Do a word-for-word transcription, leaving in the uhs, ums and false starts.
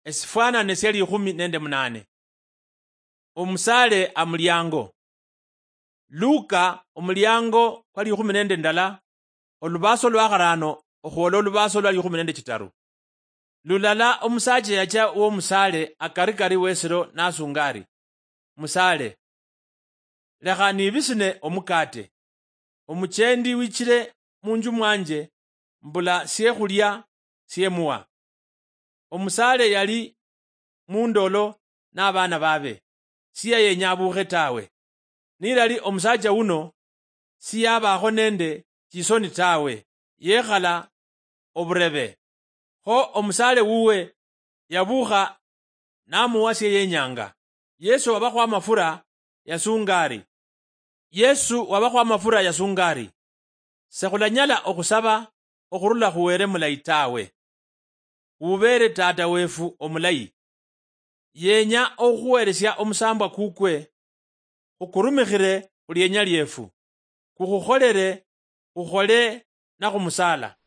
Esifwanane sia likhumi nende munane. Omusaale amuliango. Luka omuliango kwa likhumi nende ndala, olubaaso lwa kharano okhwola olubaaso lwa likhumi nende chitaru. Lulala omusaacha yacha womusaale akarikari wesiro nasunga ari, "Musaale, lekha nibisine omukate. Omuchendi wichire munju mwanje, mbula siekhulia siemuwa." Omusaale yali mundolo nabaana babe, siyayenya abuukhe tawe. Nilali omusaacha wuno siyabaakho nende chisoni tawe, yekhala oburebe. Kho omusaale wuwe yabuukha namuwa sieyenyanga. Yesu wabakhwa amafura yasunga ari, Yesu wabakhwa amafura yasunga ari, "Sekhulanyala okhusaba okhurula khu Were mulayi tawe. Wubeere Tata wefu omulayi. Yenya okhukhuweresia omusambwa kukwe, khukurumikhire khulienya liefu, kukhukholere khukhole nakhumusaala."